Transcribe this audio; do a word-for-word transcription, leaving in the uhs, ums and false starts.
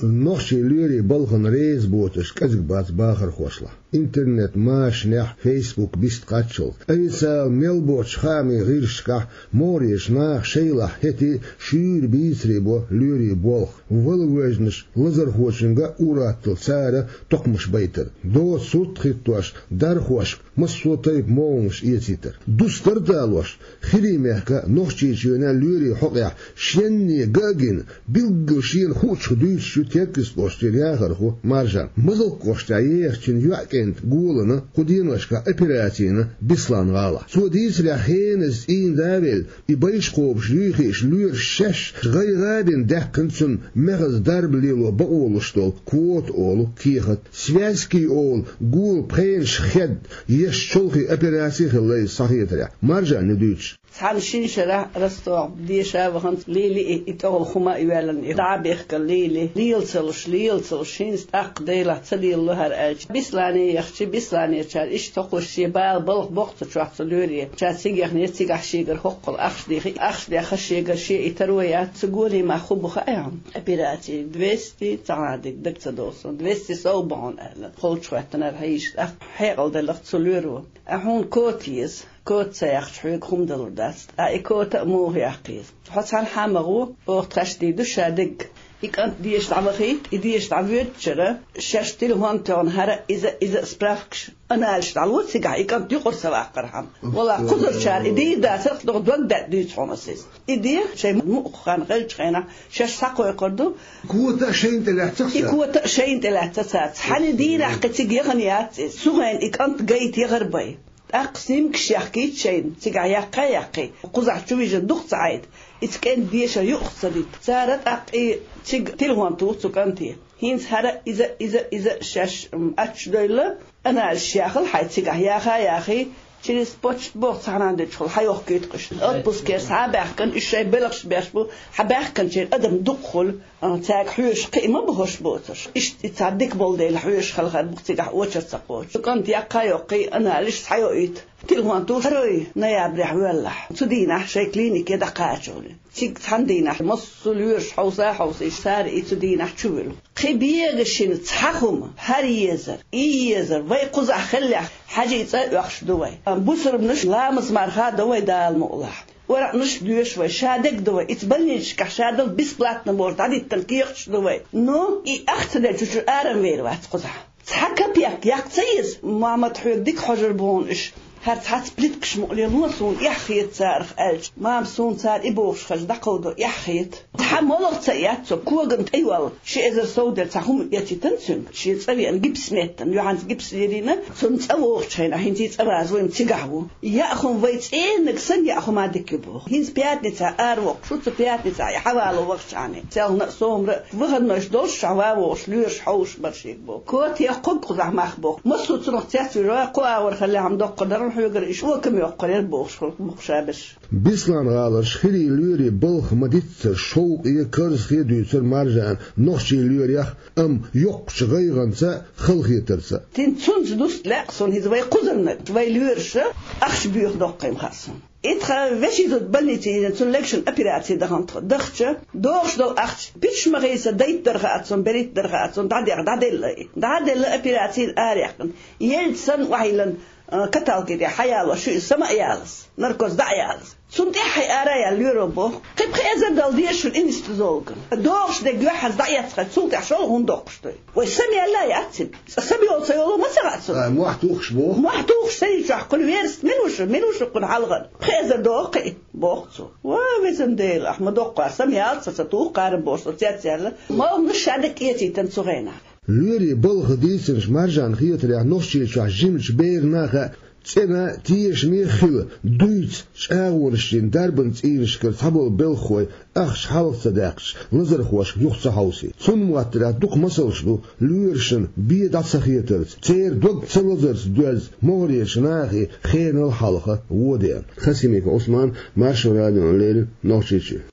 Нохчийн лоьрийн балхана реза боцурш кӀезиг бац бахархошлахь. Интернет-машанехь, Facebook бист кхаччалц, официалан мел боцучу хаамийн гӀирсашкахь могӀарерчу наха шайлахь хӀетте а шуьйра бийцаре бо лоьрийн болх. Вала вожанаш лазархочуьнга а ур-атталла цара токхамаш байтар, доцу сурт хӀиттош, дархошка массо а тайпа могӀанаш эцийтар. Дустар а далош, ХӀирийн мехкан а, Нохчийчоьнан а лоьрийн хьокъехь шенна а гина, билггал шена хуучух дуьйцуш ю Теркйист-кӀоштера яхархо Маржан. Мазалк-кӀоштахь ехачу йоӀан кӀентан голана кху деношкахь операци йина Беслан-гӀалахь. Цо дийцарехь, хеназа цӀийнан да а велла, и байш кхобуш, юй хиъча, лоьраша шаьш гӀайгӀа а бина даьккхина цунна мехаза дарба лело бакъо луш долу квота олу кехат. Связки олу гула пхенаш хедда, еш чолхе операци а хилла иза схьахетарехь, Маржанна дуьйцуш. Цхьана шина шарахь Ростовехь деша а вахана, лелий и, и тӀехула хӀума а йоьллина, и дӀа а бехкина лелий. Лела ца луш, лела ца луш, хӀинца тӀаккха Делахь ца лелало хӀара аьлча, Беслане яхча, Бесланерчара иштта хӀокхуш шен бала балха боккху цу чохь цу лоьре. Ша цига яхнера, цигахь шегара хӀоккхул ахча дийхи, ахча дехаш шегара шен и таро яц. Цу голе мах хӀун бу хаьий хьуна? Операци двести, цхьана диг даг ца догӀу суна, двести сов бу хьуна аьлла. Холчу хӀоьттинера хьийзаш, тӀаккха хьекъал делларх цу лоьро. Ткъа хьуна кота еза, кота ца яьккхича хьоьга хӀума далур дац. Ткъа и кота а муха яккха еза? Хьо цхьанхьа а ма гӀо, оха тхаьш дийр ду ша дерг. И кӀант деша дӀавахийта, и деша дӀавоьдучара, шаьш телефон тоьхна хӀара а иза, иза а справкаш, анализаш дӀало цигахь, и кӀант юкъара ца ваккхархьама. Валлахь, кхузарчара и дийр дацара, догӀу дог даьтта дуьйцу хьуна аса иза. И де шайн мукъа хан хилчу хенахь шаьш схьакхойкхур ду. Кота а шайна тӀе лаьцна ца? И кота а шайна тӀе лаьцна ца. Цхьана дийнахь кхин цига яхана яц иза. Цу хенахь и кӀант гайта яхар бен. ТӀаккха снимкаш яхкийта шайна, цигахь яккха а яккхий, кхузахь чу вижина дукха ца Ӏайта, и цу кӀентан дешар юкъах ца дита. Цара тӀаккха и цига телефон туху цу кӀанте. ХӀинца хӀара иза, иза, иза шаьш, м, ачча девлла, анализаш яхал хьайн цигахь яха а яхий, через почту боху цхьана дечухула хьайохкуьйту-кх уьш. Отпускера схьа а баьхкина, уьш шайн белхаш беш бу, хьан баьхкинчеран адам дукха хуьлу. А, цаьрга хьоьжуш кхин а ма бу хӀорш боцурш. Иштта и цхьа дика болу дела хьоьжуш хала хир бу-кх цигахь очередь ца кхочуш. Цу кӀанта яккха а йоккхий, анализаш схьайоуьйту. Телефон туху, второй ноябрехь воьллахь. Цу дийнахь шайн клинике дӀакхачале. Цига цхьана дийнахь массо а лоьраш хьовса а хьовсийша, цара и цу дийнахь чувуьлу. Кхин бегашина цхьа хӀума, хӀара езар, и езар, вай кхузахь хиллехь, хьаьжин цӀа а оьхуш ду вай. Бусурбанаш ламаз-марха а до вай Дала мукъалахь. Оракънаш доьшу вай, ша дегдо вай, ица больничкахь ша дала бесплатно бохуш дӀадиттина кехаташ ду вай. Ну, и ахча ца делча чу арам вер вац кхузахь. Цхьа капек яккха ца еза, Мамат, хьоьга дика хьожур бу хьуна уьш. ХӀара цхьацца плиткаш мукъале ло суна, эхь хета царах аьлча, мама, суна цара и бохуш хаза дӀакховдо, эхь хета. Цхьа молха ца эццо, когана тӀе йолла, ши эзар сов дерг цхьа хӀума эцийтина цуьнга. Шен цӀа веана гипс меттана, юьхьанца гипс лелийна, цунна цӀа вогӀучу хенахь, хӀинца и цӀа ваза вайна цигахь ву. Яа хӀума вай цӀеннаг санна яа хӀума дика ю боху. ХӀинца пятницахь аравоккхуш ву, цу пятницахь и хьавало вахчахьана. Селхана а, сомра а, выходнойш долуш чохь ван вогӀуш лоьраш хьовсуш бара шега боху. Кота яккхарг кхузахь мах боху. Массо а цунах цецвуьйра, кху агӀор хиллехь-м доккха дара хьоьгара, и шокам йоккхур яра бохуш хӀума бу-кх ша берш. Беслан-гӀаларчу ХӀирийн лоьрийн балха ма-диццара шовкъе, карзахе дуьйцура Маржана нохчийн лоьрех, амма йоккхачу гӀайгӀанца а, халахетарца а. Тин цунца дуста лаьа суна хӀинца вай кхузарниг, вай лоьраша ахча боьха доккхий-м хаьа суна. И тхан вешин зуда больнице йина, цунна легашна операци дахана тхо. Дахча, догӀуш долу ахча пичча ма хийца дайтта дара хаьа суна, беритта дара хаьа суна, дӀадеха, дӀаделла и. ДӀаделла, операцина араяьккхина. Елча санна охьайиллина, а, каталке тӀе хьаялош ю иза, сама а ялаза, наркоз дӀа а ялаза. Цунна тӀаьххье ара а яьлла лоьро боху: «Кхин пхи эзар дала деза шуна анестезиологана. ДогӀуш дерг юьхьанца дӀаэцна хьайн, цул тӀаьхьа шолгӀа хӀунда доккхуш ду?» Вай сама яьлла а яц цуьнан. Цкъа сама йолу ца йолу ма ца хаьа цунна. Ай, мохь тухуш боху. Мохь тухуш, ца йичохь кхуьнан вераст мила ву шу, мила ву шу кхуьнан хьалхара? Пхи эзар догӀу кхин, боху цо. Ва, везан Дела, ахь ма доккхара, сама ялла ца, ца туху кхара бохуш, со цец яьлла. Молханаш ша дерг эцийтина цу хенахь. Лоьрийн балха дийцинчу Маржанна хетарехь, Нохчийчохь жимачу берана а хаьа, цӀена тешаме а хила, дуьйцу чӀагӀонаш йина дарбан цӀийнашкара цхьаболу белхахой ахча хьалха ца даьккхича, лазархошка юха ца хьовсий. Цунна моттарехь дукха масалш ду, лоьрашна бен дӀа ца хетарца, церан дог ца лазарца доьзна могӀарерчу нахе хенал хьалха вон деана. Хасимиков Ӏусман, Маршо радиона леррина, Нохчийчоь.